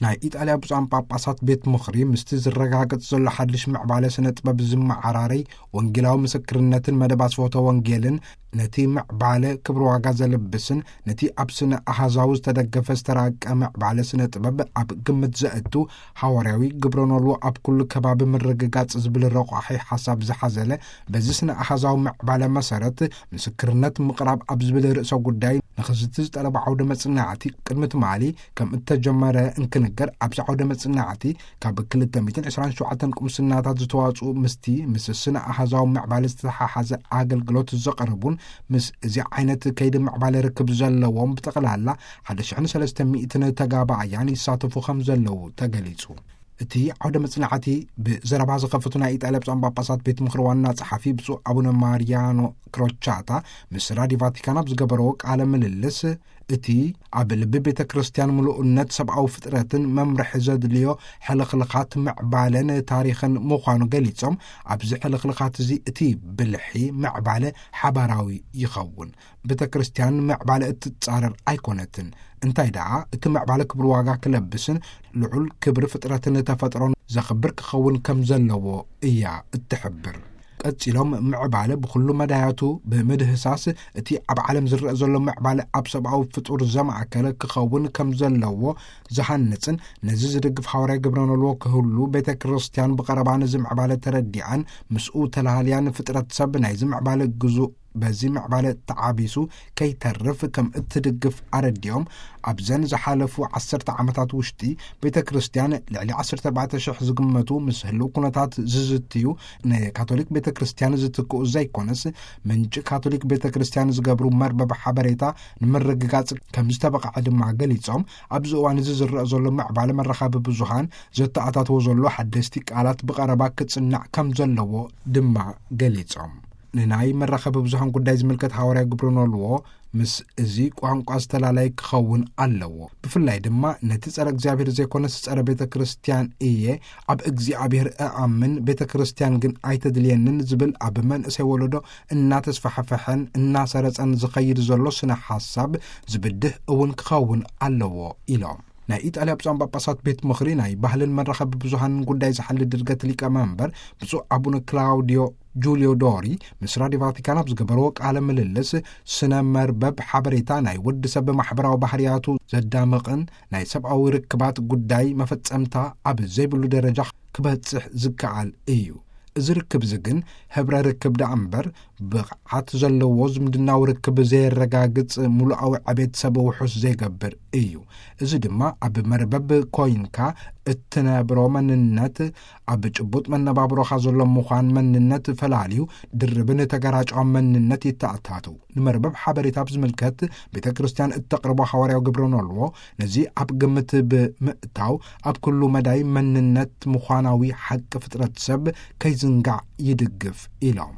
ናይ ኢጣልያ ብፁዓን ጳጳሳት ቤት ምኽሪ ምስቲ ዝረጋገጽ ዘሎ ሓድሽ ምዕባለ ስነ ጥበብ ዝመዓራረይ ወንጌላዊ ምስክርነትን መደብ ኣስፈቶ ወንጌልን፣ ነቲ ምዕባለ ክብሪ ዋጋ ዘልብስን ነቲ ኣብ ስነ ኣሃዛዊ ዝተደገፈ ዝተራቀ ምዕባለ ስነ ጥበብ ኣብ ግምት ዘእቱ፣ ሃዋርያዊ ግብረ ኖልዎ ኣብ ኩሉ ከባቢ ምርግጋጽ ዝብል ረቋሒ ሓሳብ ዝሓዘለ፣ በዚ ስነ ኣሃዛዊ ምዕባለ መሰረት ምስክርነት ምቕራብ ኣብ ዝብል ርእሰ ጉዳይ ንኽዝቲ ዝጠለቦ ዓውደ መጽናዕቲ ቅድሚ ትማሊ ከም እተጀመረ እንክንገር፣ ኣብዚ ዓውደ መጽናዕቲ ካብ ክልተ ሚእትን ዕስራን ሸውዓተን ቁምስናታት ዝተዋጽኡ ምስቲ ምስ ስነ ኣሃዛዊ ምዕባለ ዝተሓሓዘ ኣገልግሎት ዘቕርቡን ምስ እዚ ዓይነት ከይዲ ምዕባለ ርክብ ዘለዎም ብጠቕላላ ሓደ ሽሕን ሰለስተ ሚእትን ተጋባእያን ይሳተፉ ከም ዘለዉ ተገሊጹ። እቲ ዓውደ መጽናዕቲ ብዘረባ ዝኸፈቱ ናይ ኢጣልያ ብፁዓን ጳጳሳት ቤት ምኽሪ ዋና ጸሓፊ ብፁዕ ኣቡነ ማርያኖ ክሮቻታ ምስ ራዲዮ ቫቲካን ኣብ ዝገበረዎ ቃለ ምልልስ፣ እቲ ኣብ ልቢ ቤተ ክርስቲያን ምሉእነት ሰብኣዊ ፍጥረትን መምርሒ ዘድልዮ ሕልኽልኻት ምዕባለን ታሪኽን ምዃኑ ገሊጾም፣ ኣብዚ ሕልኽልኻት እዚ እቲ ብልሒ ምዕባለ ሓባራዊ ይኸውን። ቤተ ክርስቲያን ምዕባለ እትጻረር ኣይኮነትን። እንታይ ደኣ፣ እቲ ምዕባለ ክብሪ ዋጋ ክለብስን ልዑል ክብሪ ፍጥረትን ተፈጥሮን ዘኽብር ክኸውን ከም ዘለዎ እያ እትሕብር። ቀጺሎም፣ ምዕባለ ብኹሉ መዳያቱ ብምድህሳስ፣ እቲ ኣብ ዓለም ዝረአ ዘሎ ምዕባለ ኣብ ሰብኣዊ ፍጡር ዘማእከለ ክኸውን ከም ዘለዎ ዝሃንጽን፣ ነዚ ዝድግፍ ሃዋርያ ግብረ ኖልዎ ክህሉ ቤተ ክርስቲያን ብቐረባ ነዚ ምዕባለ ተረዲኣን ምስኡ ተላሃልያን ፍጥረት ሰብ ናይዚ ምዕባለ ግዙእ በዚ ምዕባለ ተዓቢሱ ከይተርፍ ከም እትድግፍ ኣረዲኦም፣ ኣብዘን ዝሓለፉ ዓሰርተ ዓመታት ውሽጢ ቤተ ክርስቲያን ልዕሊ ዓሰርተ ኣርባዕተ ሽሕ ዝግመቱ ምስ ህልው ኩነታት ዝዝትዩ ንካቶሊክ ቤተ ክርስቲያን ዝትክኡ ዘይኮነስ፣ ምንጪ ካቶሊክ ቤተ ክርስቲያን ዝገብሩ መርበብ ሓበሬታ ንምርግጋጽ ከም ዝተበቕዐ ድማ ገሊጾም፣ ኣብዚ እዋን እዚ ዝረአ ዘሎ ምዕባለ መራኸቢ ብዙሃን ዘተኣታትዎ ዘሎ ሓደስቲ ቃላት ብቐረባ ክጽናዕ ከም ዘለዎ ድማ ገሊጾም። ንናይ መራኸቢ ብዙሃን ጉዳይ ዝምልከት ሃዋርያ ግብረ ኖልዎ ምስ እዚ ቋንቋ ዝተላለየ ክኸውን ኣለዎ። ብፍላይ ድማ ነቲ ጸረ እግዚኣብሔር ዘይኮነስ ጸረ ቤተ ክርስቲያን እየ፣ ኣብ እግዚኣብሔር እኣምን፣ ቤተ ክርስቲያን ግን ኣይተድልየንን ዝብል ኣብ መንእሰይ ወለዶ እናተስፋሕፈሐን እናሰረጸን ዝኸይድ ዘሎ ስነ ሓሳብ ዝብድህ እውን ክኸውን ኣለዎ ኢሎም። ናይ ኢጣልያ ብፁዓን ጳጳሳት ቤት ምኽሪ ናይ ባህልን መራኸቢ ብዙሃንን ጉዳይ ዝሓሊ ድርገት ሊቀመንበር ብፁዕ ኣቡነ ክላውዲዮ ጁልዮ ዶሪ ምስ ራዲዮ ቫቲካን ኣብ ዝገበርዎ ቃለ ምልልስ፣ ስነ መርበብ ሓበሬታ ናይ ወዲ ሰብ ማሕበራዊ ባህርያቱ ዘዳምቕን ናይ ሰብኣዊ ርክባት ጉዳይ መፈጸምታ ኣብ ዘይብሉ ደረጃ ክበጽሕ ዝከኣል እዩ። እዚ ርክብ እዚ ግን ህብረ ርክብ ደኣ እምበር ብቕዓት ዘለዎ ዝምድናዊ ርክብ ዘየረጋግጽ፣ ምሉኣዊ ዕቤት ሰብ ውሑስ ዘይገብር እዩ። እዚ ድማ ኣብ መርበብ ኮይንካ እትነብሮ መንነት፣ ኣብ ጭቡጥ መነባብሮኻ ዘሎ ምዃን መንነት ፈላልዩ ድርብን ተገራጫውን መንነት ይተኣታቱ። ንመርበብ ሓበሬታ ብዝምልከት ቤተ ክርስቲያን እተቕርቦ ሃዋርያዊ ግብረ ኖልዎ ነዚ ኣብ ግምት ብምእታው ኣብ ኩሉ መዳይ መንነት ምዃናዊ ሓቂ ፍጥረት ሰብ ከይዝንጋዕ ይድግፍ ኢሎም።